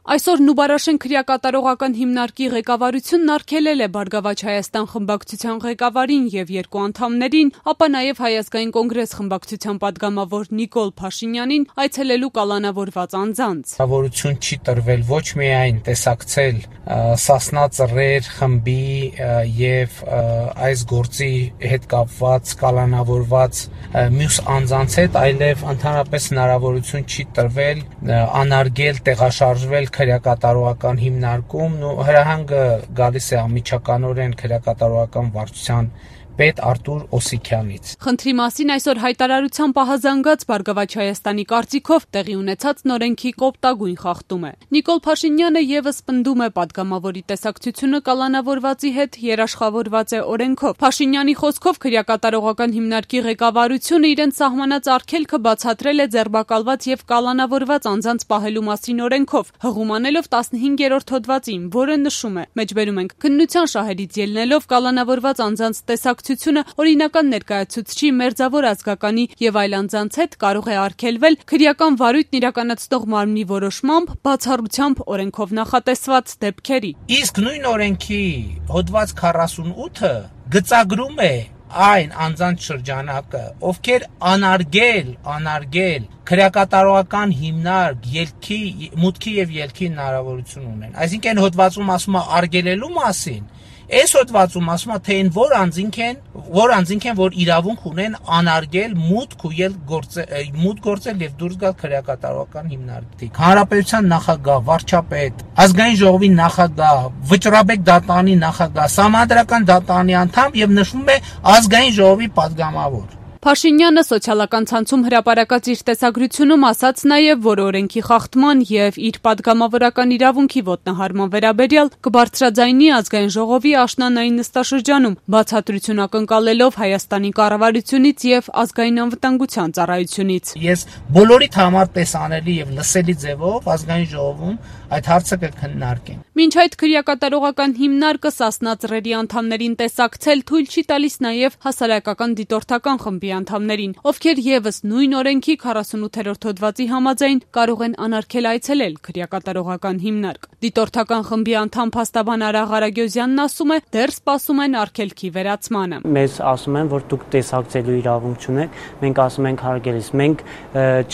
Այսօր Նուբարաշեն քրեակատարողական հիմնարկի ղեկավարությունն արգելել է Բարգավաճ Հայաստան խմբակցության ղեկավարին և 2 անդամներին, ապա նաև Հայ ազգային կոնգրես խմբակցության падգամավոր Նիկոլ Փաշինյանին այցելելու կալանավորված անձանց։ Հնարավորություն չի տրվել ոչ միայն տեսակցել Սասնա Ծռեր խմբի և այս գործի հետ կապված կալանավորված մյուս անձանց հետ, այլև ընդհանրապես հնարավորություն չի տրվել անարգել, տեղաշարժվել քրեակատարողական հիմնարկում, հրահանգը գալիս է անմիջականորեն քրեակատարողական վարչության պետ Արտուր Օսիքյանից։ Խնդրի մասին այսօր հայտարարության պահազանգած Բարգավաճ Հայաստանի կարծիքով տեղի ունեցած նորենքի կոպտագույն խախտում է։ Նիկոլ Փաշինյանը եւս պնդում է падգամավորի տեսակցությունը կալանավորվածի հետ երաշխավորված է օրենքով։ Փաշինյանի խոսքով քրեակատարողական հիմնարկի ղեկավարությունը իրենց սահմանած արգելքը բացատրել է ձերբակալված եւ կալանավորված անձանց պահելու մասին օրենքով, հղում անելով 15-րդ հոդվածին, որը նշում է. մեջբերում ենք քննության շահերից ելնելով կալանավորված անձանց տեսակցությունը օրինական ներկայացուցչի, մերձավոր ազգականի եւ այլ անձանց հետ կարող է արգելվել քրեական վարույթն իրականացնող մարմնի որոշմամբ, բացառությամբ օրենքով նախատեսված դեպքերի։ Իսկ նույն օրենքի հոդված 48-ը գծագրում է այն անձանց շրջանակը, ովքեր անարգել քրեակատարողական հիմնարկ մուտքի եւ ելքի հնարավորություն ունեն։ Այսինքն հոդվածում ասում է արգելելու մասին, այս հոդվածում ասում է թե որ անձինք են, որ իրավունք ունեն անարգել մուտք գործել եւ դուրս գալ քրեակատարողական հիմնարկից։ Հանրապետության նախագահ, վարչապետ, ազգային ժողովի նախագահ, վճռաբեկ դատարանի նախագահ, Սահմանադրական դատարանի անդամ եւ նշվում է ազգային ժողովի падգամավոր։ Փաշինյանը սոցիալական ցանցում հրապարակած իր տեսագրությունում ասաց նաև, որ օրենքի խախտման եւ իր падգամավորական իրավունքի ոտնահարման վերաբերյալ կբարձրաձայնի ազգային ժողովի աշնանային նստաշրջանում, բացատրություն ակնկալելով Հայաստանի կառավարությունից եւ ազգային անվտանգության ծառայությունից։ Ես բոլորիդ համար տեսանելի եւ լսելի ձևով ազգային ժողովում այդ հարցը կքննարկեմ։ Մինչ այդ քրեակատարողական հիմնարկը Սասնա Ծռերի անդամներին տեսակցել թույլ չի տալիս նաև հասարակական դիտորդական խմբի անդամներին, ովքեր եւս նույն օրենքի 48-րդ հոդվածի համաձայն կարող են անարգել այցելել քրեակատարողական հիմնարկ։ Դիտորդական խմբի անդամ փաստաբան Արաղ Արագյոզյանն ասում է, դեռ սպասում են արգելքի վերացմանը։ Մեզ ասում են, որ դուք տեսակցելու իրավունք չունեք, մենք ասում ենք հարգելիս, մենք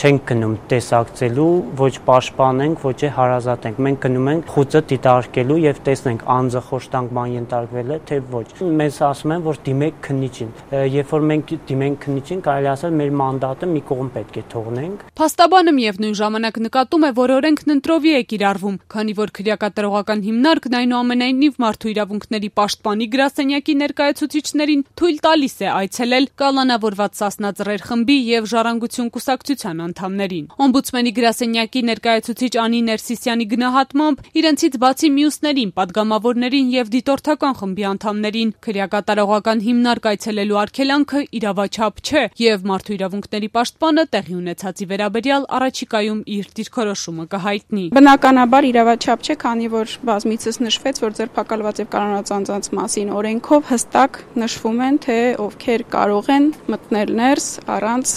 չենք գնում տեսակցելու, ոչ պաշտպանենք, ոչ հարազատենք, մենք գնում ենք խուցը դիտարկելու եւ տեսնենք անձը խոշտանգման ենթարկվել է, թե ոչ։ Մեզ ասում են, որ դիմեք քննիչին։ Երբ որ մենք դիմենք քննիչին, կարելի ասել մեր մանդատը մի կողմ պետք է թողնենք։ Փաստաբանը միևնույն ժամանակ նկատում է, որ օրենքն ընտրովի է կիրառվում, քանի որ քրեակատարողական հիմնարկն այնուամենայնիվ մարդու իրավունքների պաշտպանի գրասենյակի ներկայացուցիչներին թույլ տալիս է այցելել կալանավորված Սասնա Ծռեր խմբի եւ Ժառանգություն կուսակցության անդամներին։ Օմբուդսմենի գրասենյակի ներկայացուցիչ Անի Ներսիսյանի գնահատմամբ իրենցից բացի մյուսներին, падգամավորներին եւ դիտորդական խմբի անդամներին քրեակատարողական հիմնարկ այցելելու արգելանքը իրավաչափ չէ եւ մարդու իրավունքների պաշտպանը տեղի ունեցածի վերաբերյալ առաջիկայում իր դիրքորոշումը կհայտնի։ Բնականաբար իրավաչափ չէ, քանի որ բազմիցս նշվեց, որ ձերբակալված եւ կալանավորված անձանց մասին օրենքով հստակ նշվում են, թե ովքեր կարող են մտնել ներս առանց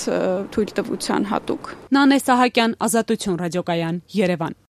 թույլտվության հատուկ։ Նանե Սահակյան, Ազատություն ռադիոկայան, Երևան։